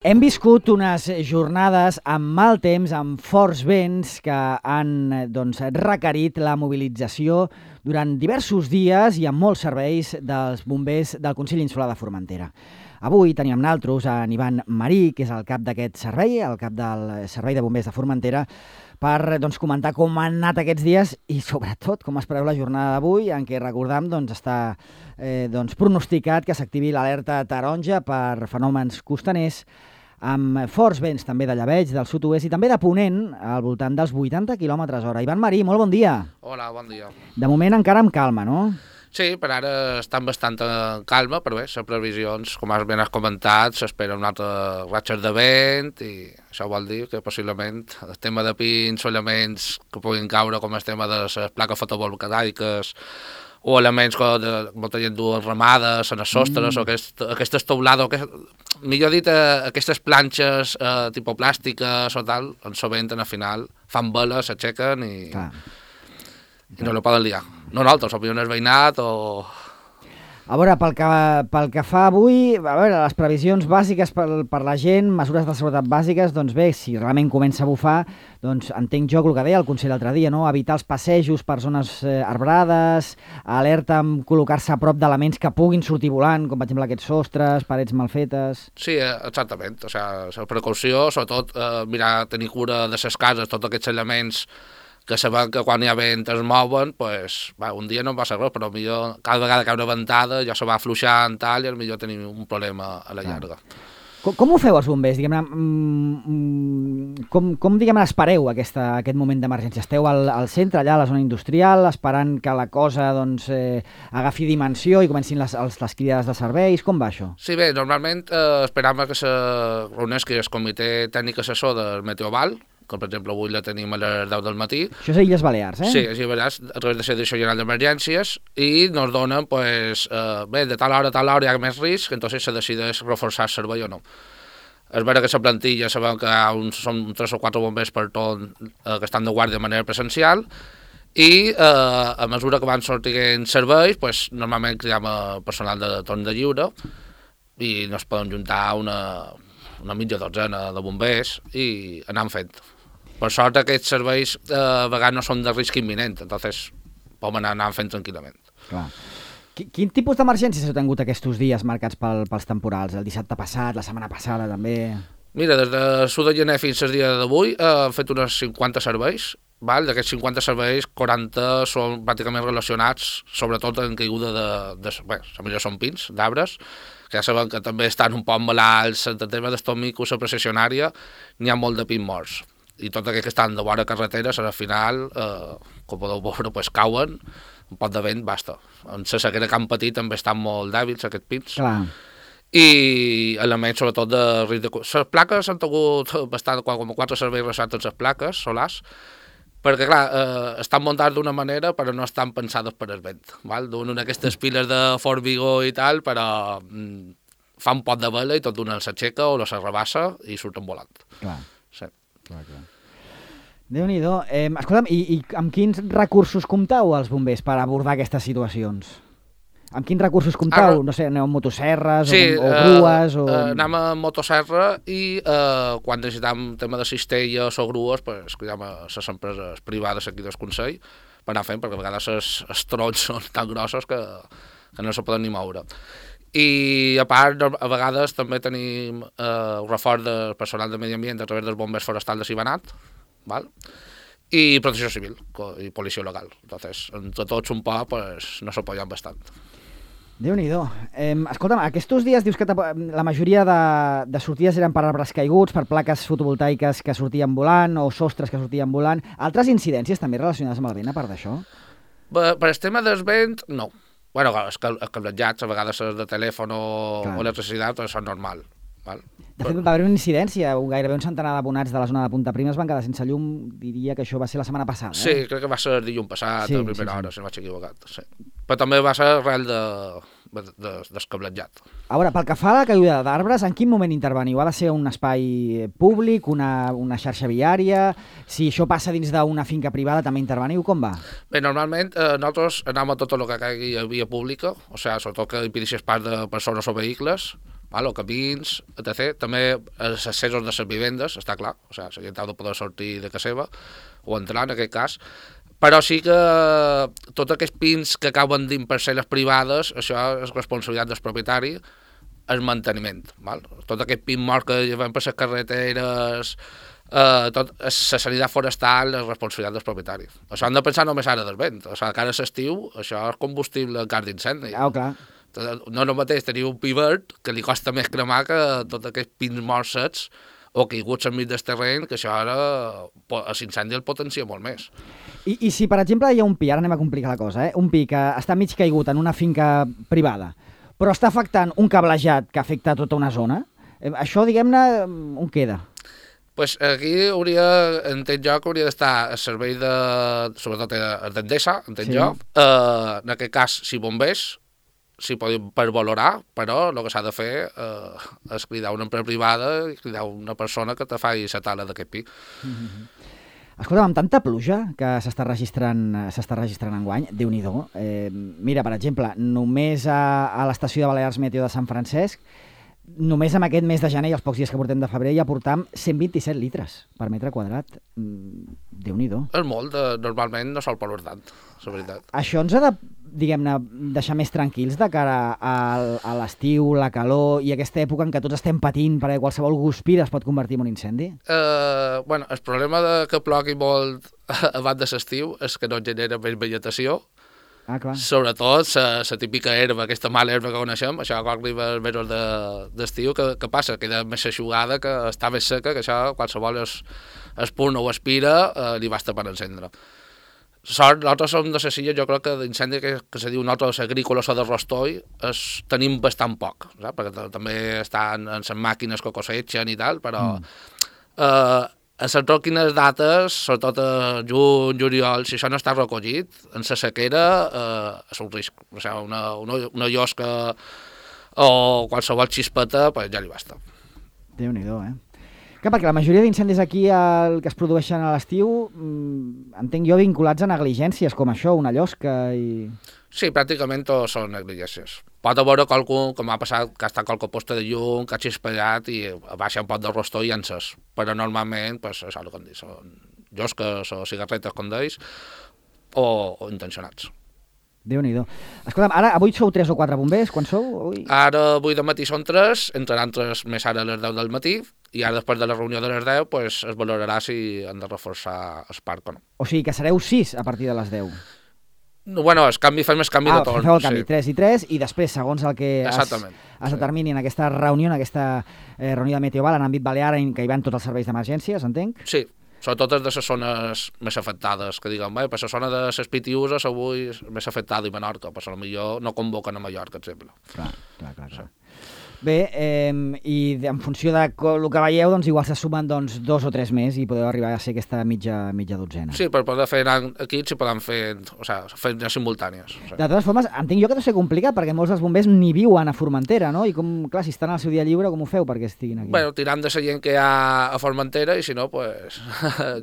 Hem viscut unes jornades amb mal temps, amb forts vents que han requerit la mobilització durant diversos dies i amb molts serveis dels bombers del Consell Insular de Formentera. Avui tenim amb nosaltres a Ivan Marí, que és el cap d'aquest servei, el cap del Servei de Bombers de Formentera, per comentar com han anat aquests dies i, sobretot, com es preveu la jornada d'avui, en què, recordam, està pronosticat que s'activi l'alerta taronja per fenòmens costaners, amb forts vents també de llebeig del sud-oest i també de ponent al voltant dels 80 km/h. Ivan Marí, molt bon dia. Hola, bon dia. De moment encara amb calma, no? Sí, per ara estan bastant en calma, però bé, les previsions, com ben has comentat, s'esperen altres ratxes de vent i això vol dir que possiblement el tema de pins o elements que puguin caure com el tema de les plaques fotovoltaiques o elements que molta gent duen ramades en els sostres o aquestes teulades, millor dit, aquestes planxes tipus plàstiques o tal, en sovint al final fan veles, s'aixequen i no la poden liar. No nosaltres, òbviament el veïnat o... A veure, pel que fa avui, les previsions bàsiques per la gent, mesures de seguretat bàsiques, doncs bé, si realment comença a bufar, doncs entenc jo el que deia el Consell l'altre dia, no? Evitar els passejos per zones arbrades, alerta amb col·locar-se a prop d'elements que puguin sortir volant, com per exemple aquests sostres, parets mal fetes... Sí, exactament, o sigui, la precaució, sobretot mirar, tenir cura de les cases, tots aquests elements que sabem que quan hi ha vent es mouen, doncs, un dia no passa res, però millor cada vegada que hi ha una ventada ja se va afluixant tal, i millor tenim un problema a la llarga. Com ho feu els bombers? Com espereu aquest moment d'emergència? Esteu al centre, allà a la zona industrial, esperant que la cosa agafi dimensió i comencin les cridades de serveis? Com va això? Sí, bé, normalment esperam que se reuneixi el comitè tècnic assessor del Meteoval, que per exemple avui la tenim a les 10 del matí. Això és a Illes Balears, eh? Sí, a Illes Balears, a través de la Direcció General d'Emergències, i ens donen, bé, de tal hora a tal hora hi ha més risc, entonces se decideix reforçar el servei o no. És vera que la plantilla sabem que són 3 o 4 bombers per torn que estan de guàrdia de manera presencial, i a mesura que van sortint serveis, normalment cridem personal de torn de lliure i ens poden juntar una mitja dotzena de bombers i anem fent. Per sort, aquests serveis a vegades no són de risc imminent, entonces podem anar fent tranquil·lament. Clar. Quin tipus d'emergències heu tingut aquests dies marcats pels temporals? El dissabte passat, la setmana passada també? Mira, des de l'1 de gener fins al dia d'avui hem fet uns 50 serveis. D'aquests 50 serveis, 40 són pràcticament relacionats, sobretot en caiguda la majoria són pins, d'arbres, que ja sabem que també estan un poc malalts, en el tema dels micos, la processionària, n'hi ha molt de pins morts. I tots aquells que estan de vora carreteres, al final, com podeu veure, cauen, un pot de vent, basta. En la sequera que han patit també estan molt dèbils, aquests pins. Clar. I elements, sobretot, de risc de... Les plaques han tingut bastant, com 4 serveis relacionats amb les plaques solars, perquè, clar, estan muntats d'una manera, però no estan pensades per el vent. Donen aquestes piles de fort vigor i tal, però fa un pot de vela i tot d'una s'aixeca o la s'arrabassa i surten volant. Clar. Sí. Clar. Déu-n'hi-do. Escolta'm, i amb quins recursos compteu els bombers per abordar aquestes situacions? Amb quins recursos compteu? No sé, aneu amb motosserres o grues? Anem amb motosserra i quan necessitem tema de cistelles o grues, cridem a les empreses privades aquí del Consell per anar fent, perquè a vegades els troncs són tan grossos que no se poden ni moure. I a part, a vegades també tenim reforç del personal de medi ambient a través dels bombers forestals de Sibonat, i protecció civil i policia local. Entonces, entre tots un poc nos apoyan bastant. Déu-n'hi-do. Escolta'm, aquests dies dius que la majoria de sortides eren per arbres caiguts, per plaques fotovoltaiques que sortien volant o sostres que sortien volant. Altres incidències també relacionades amb el vent, a part d'això? Per el tema del vent, no. Bueno, els cablejats, a vegades de telèfon o electricitat, són normal. De fet, va haver una incidència, gairebé un centenar d'abonats de la zona de Punta Prima es van quedar sense llum, diria que això va ser la setmana passada. Sí, crec que va ser el dilluns passat, a primera hora, si no vaig equivocat. Sí. Però també va ser arrel del cablejat. A veure, pel que fa a la caiguda d'arbres, en quin moment interveniu? Ha de ser un espai públic, una xarxa viària? Si això passa dins d'una finca privada, també interveniu? Com va? Bé, normalment nosaltres anem a tot el que caigui a via pública, o sigui, sobretot que impedeixi pas de persones o vehicles, o camins, etc. També els accessos de les vivendes, està clar, o sigui, la gent ha de poder sortir de casa seva o entrar, en aquest cas, però sí que tots aquests pins que acaben dins parcel·les privades, això és responsabilitat del propietari, el manteniment. Val? Tot aquest pin mort que llevem per les carreteres, tot la sanitat forestal és responsabilitat dels propietaris. Això han de pensar només ara del vent. O sigui, que ara l'estiu, això és combustible en cas d'incendi. Clar. No el mateix tenir un pi verd, que li costa més cremar que tots aquests pins morts secs o caiguts enmig del terreny, que això ara l'incendi el potencia molt més. I si, per exemple, hi ha un pi, ara anem a complicar la cosa, un pi que està mig caigut en una finca privada, però està afectant un cablejat que afecta tota una zona, això, diguem-ne, on queda? Pues aquí entenc jo que hauria d'estar el servei sobretot d'Endesa, entenc jo, en aquest cas, si bombers, s'hi poden per valorar, però el que s'ha de fer és cridar una empresa privada i cridar una persona que te faci la tala d'aquest pi. Escolta'm, amb tanta pluja que s'està registrant enguany, Déu-n'hi-do. Mira, per exemple, només a l'estació de Balears Meteo de Sant Francesc, només en aquest mes de gener i els pocs dies que portem de febrer ja portam 127 litres per metre quadrat. Déu-n'hi-do. És molt, normalment no sol ploure tant, la veritat. Això ens ha de, diguem-ne, deixar més tranquils de cara a l'estiu, la calor i aquesta època en què tots estem patint perquè qualsevol guspira es pot convertir en un incendi? Bueno, el problema de que plogui molt abans de l'estiu és que no genera més vegetació. Clar. Sobretot la típica herba, aquesta mala herba que coneixem, això quan arriba els mesos d'estiu, que passa? Queda més aixugada, que està més seca, que això qualsevol espurna o aspira li basta per encendre. Nosaltres som de les illes, jo crec que d'incendi que se diu nosaltres agrícoles o de rostoi tenim bastant poc, saps? Perquè també estan en les màquines que coseixen i tal, però a les quines dates, sobretot a juny, juliol, si això no està recollit, en la sequera és un risc. O sigui, una llosca o qualsevol xispeta, pues ja li basta. Déu-n'hi-do, Clar, perquè la majoria d'incendis aquí que es produeixen a l'estiu, entenc jo, vinculats a negligències com això, una llosca i... Sí, pràcticament tots són negligències. Pot haver qualcun, com ha passat, que ha estat qualque posta de llum, que ha xispellat i baixa un pot de rostó i encès. Però normalment, pues, és el que hem dit, són llosques o cigarretes, com deis, o intencionats. Déu-n'hi-do. Escolta'm, ara, avui sou 3 o 4 bombers? Quan sou? Avui? Ara, avui de matí són 3, entraran 3 més ara a les 10 del matí, i ara després de la reunió de les 10 pues, es valorarà si han de reforçar el parc o no. O sigui que sereu 6 a partir de les 10? Bueno, fem el canvi de torn. Feu el canvi, 3 i 3, i després, segons el que es determini en aquesta reunió, en aquesta reunió de Meteoval, en àmbit balear, en què hi van tots els serveis d'emergències, entenc? Sí, sobretot de les zones més afectades, que diguem, per la zona de les Pitiuses avui és més afectada i Menorca, però potser no convoquen a Mallorca, exemple. Clar. Sí. Bé, i en funció de el que veieu, doncs igual se sumen 2 o 3 més i podeu arribar a ser aquesta mitja dotzena. Sí, per poder fer equips i poden fer simultànies. De totes formes, entenc jo que deu ser complicat, perquè molts dels bombers ni viuen a Formentera, no? I clar, si estan al seu dia lliure, com ho feu perquè estiguin aquí? Bueno, tirant de la gent que hi ha a Formentera i si no, pues,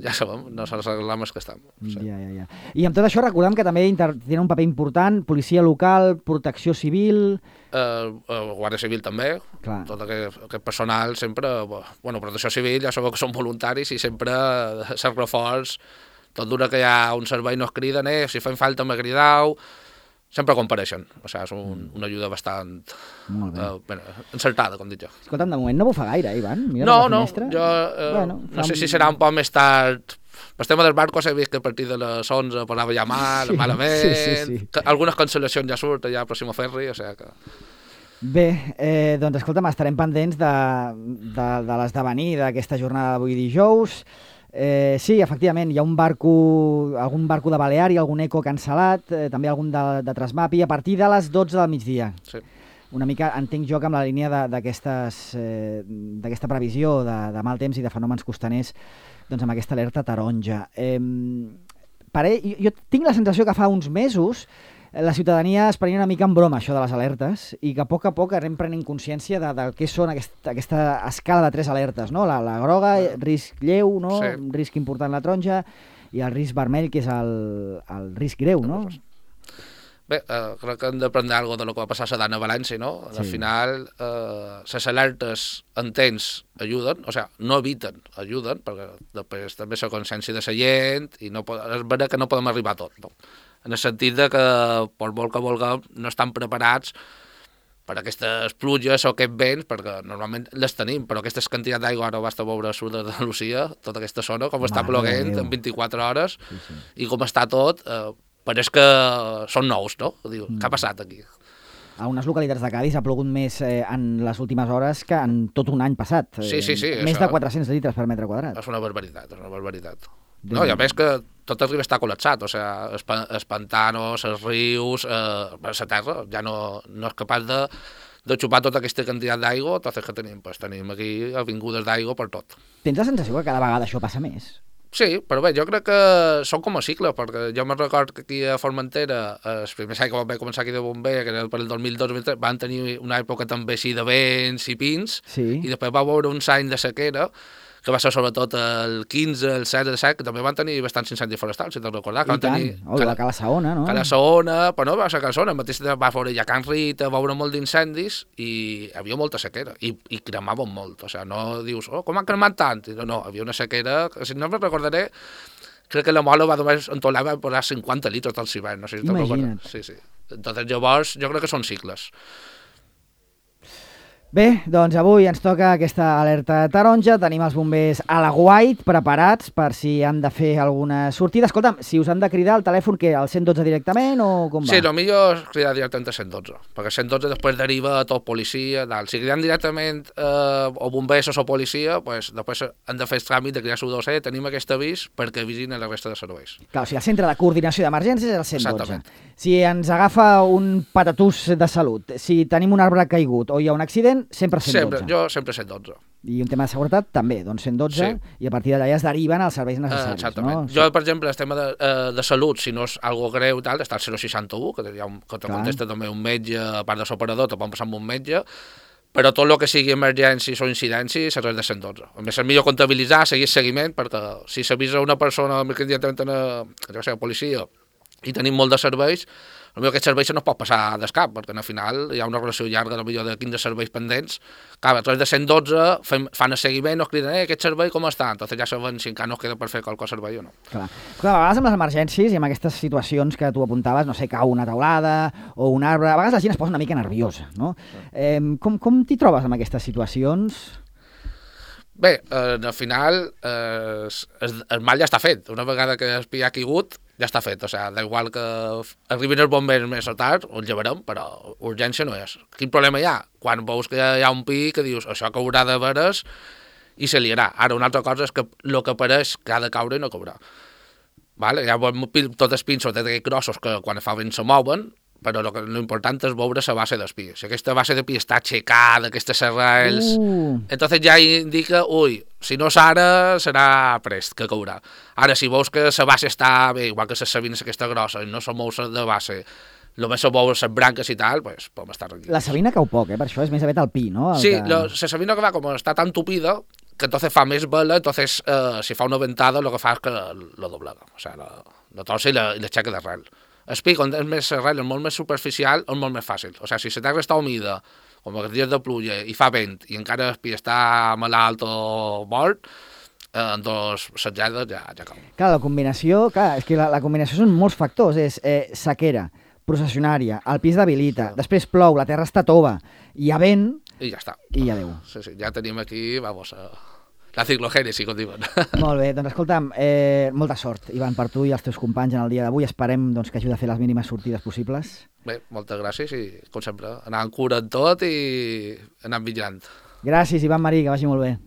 ja sabem, no se les reclames que estem. Sí. Ja. I amb tot això recordem que també tenen un paper important, policia local, protecció civil... Guàrdia Civil també. Clar. Tot aquest personal sempre... Bueno, protecció civil ja sabeu que són voluntaris i sempre s'ha reforç. Tot d'una que hi ha un servei no es criden, si fem falta me cridau, sempre compareixen. O sigui, és una ajuda bastant encertada, com dic jo. Escolta'm, de moment no bufa gaire, Ivan? Mira no, jo no sé si serà un poc més tard... Per tema dels barcos he vist que a partir de les 11 posava ja malament, sí. Algunes cancel·lacions ja surten ja a Pròximo Ferri, o sigui que... Bé, doncs escolta'm, estarem pendents de l'esdevenir d'aquesta jornada d'avui dijous. Sí, efectivament, hi ha algun barco de Balear i algun eco cancel·lat, també algun de Transmapi, a partir de les 12 del migdia. Sí. Una mica, entenc jo que amb la línia d'aquesta previsió de mal temps i de fenòmens costaners, doncs amb aquesta alerta taronja. Jo tinc la sensació que fa uns mesos la ciutadania es prenia una mica en broma això de les alertes i que a poc anem prenent consciència del que són aquesta escala de 3 alertes, no? La groga, risc lleu, no? Sí. Risc important la taronja, i el risc vermell, que és el risc greu, no? Bé, crec que hem d'aprendre alguna cosa de lo que va passar a Sedana a València, no? Sí. Al final, les alertes en temps ajuden, o sigui, no eviten, ajuden, perquè després també la consciència de la gent, i no és vera que no podem arribar a tot, no? En el sentit de que, per molt que vulguem, no estan preparats per aquestes pluges o aquests vents, perquè normalment les tenim, però aquestes quantitats d'aigua, ara basta veure a sud d'Andalusia, tota aquesta zona, com està ploguent en 24 hores, sí. I com està tot... pareix que són nous, no? Diu, què ha passat aquí? A unes localitats de Cádiz ha plogut més en les últimes hores que en tot un any passat. Sí. Més de 400 litres per metre quadrat. És una barbaritat. No, i a més que tot el riu està col·lapsat, o sigui, els pantanos, els rius, la terra ja no és capaç de xupar tota aquesta quantitat d'aigua, tot el que tenim. Pues tenim aquí avingudes d'aigua per tot. Tens la sensació que cada vegada això passa més? Sí, però bé, jo crec que són com a cicle, perquè jo me'n record que aquí a Formentera, els primers anys que vam començar aquí de bomber, que era per el 2002-2003, van tenir una època també així de vents i pins, sí. I després va veure uns anys de sequera, que va ser sobretot el 15, el 16, el 17, que també van tenir bastants incendis forestals, si te'n recordar. I tant, la Cala Saona, no? Cala Saona, però no va ser Cala Saona, mateix va veure ja Can Rita, va veure molt d'incendis i hi havia molta sequera, i cremaven molt, o sigui, no dius, com han cremat tant? No, havia una sequera, si no me'n recordaré, crec que la mola va només en tot l'any va posar 50 litres del cibern, no sé si te'n recordes. Sí. Entonces llavors jo crec que són cicles. Bé, doncs avui ens toca aquesta alerta taronja, tenim els bombers a l'aguait preparats per si han de fer alguna sortida. Escolta'm, si us han de cridar al telèfon, què, al 112 directament o com va? Sí, el millor és cridar directament al 112, perquè el 112 després deriva a tot policia, tal. Si cridem directament o bombers o policia, pues, després han de fer el tràmit de cridar a 112, tenim aquest avís perquè avisin a la resta de serveis. Clar, o sigui, el centre de coordinació d'emergències és el 112. Exactament. Si ens agafa un patatús de salut, si tenim un arbre caigut o hi ha un accident, sempre 112. Jo sempre 112. I un tema de seguretat també, doncs 112, sí. I a partir d'allà es deriven als serveis necessaris. Exactament. No? Jo, per exemple, el tema de salut, si no és algo greu, tal, està el 061, que te contesta també un metge, a part de l'operador, te pot passar amb un metge, però tot el que sigui emergències o incidències serveix de 112. A més, és millor comptabilitzar, seguir seguiment, perquè si s'avisa una persona immediatament a policia i tenim molt de serveis, potser aquest servei no es pot passar d'escap, perquè al final hi ha una relació llarga, potser de 15 serveis pendents, que a través de 112 fan el seguiment, nos criden, aquest servei com està? Entonces ja saben si encara no queda per fer qualque servei o no. Clar, a vegades amb les emergències i amb aquestes situacions que tu apuntaves, no sé, cau una taulada o un arbre, a vegades la gent es posa una mica nerviosa, no? Com t'hi trobes amb aquestes situacions? Bé, al final el mal ja està fet. Una vegada que el pi ha caigut, ja està fet. O sigui, d'igual que arribin els bombers més o tard, ho llevarem, però urgència no és. Quin problema hi ha? Quan veus que hi ha un pi que dius això caurà de veres i se liarà. Ara, una altra cosa és que el que apareix que ha de caure i no caurà. Vale? Hi ha tots els pins, sobretot grossos, que quan fa vent se mouen, però l'important és veure la base del pi. Si aquesta base de pi està aixecada, aquestes arrels, entonces ja indica, si no és ara, serà prest que caurà. Ara, si veus que la base està bé, igual que les sabines aquesta grossa, i no se mou de base, només se mou les branques i tal, pues podem estar tranquils. La sabina cau poc, per això és més aviat el pi, no? Sí, la sabina que va, com està tan tupida, que entonces fa més vela, entonces si fa una ventada, el que fa és que la doblega, o sigui, la torça i l'aixeca d'arrel. El pi, quan és més arrel, és molt més superficial, és molt més fàcil. O sigui, si la terra està humida, com els dies de pluja, i fa vent, i encara el pi està malalt o mort, en dos setjades ja cau. Clar, la combinació, és que la combinació són molts factors, és sequera, processionària, el pi es debilita, després plou, la terra està tova, hi ha vent... I ja està. I adéu. Sí, ja tenim aquí, vamos, la ciclogènesi, com diuen. Molt bé, doncs escolta'm, molta sort, Ivan, per tu i els teus companys en el dia d'avui. Esperem que ajudi a fer les mínimes sortides possibles. Bé, moltes gràcies i, com sempre, anant cura en tot i anant vigilant. Gràcies, Ivan Marí, que vagi molt bé.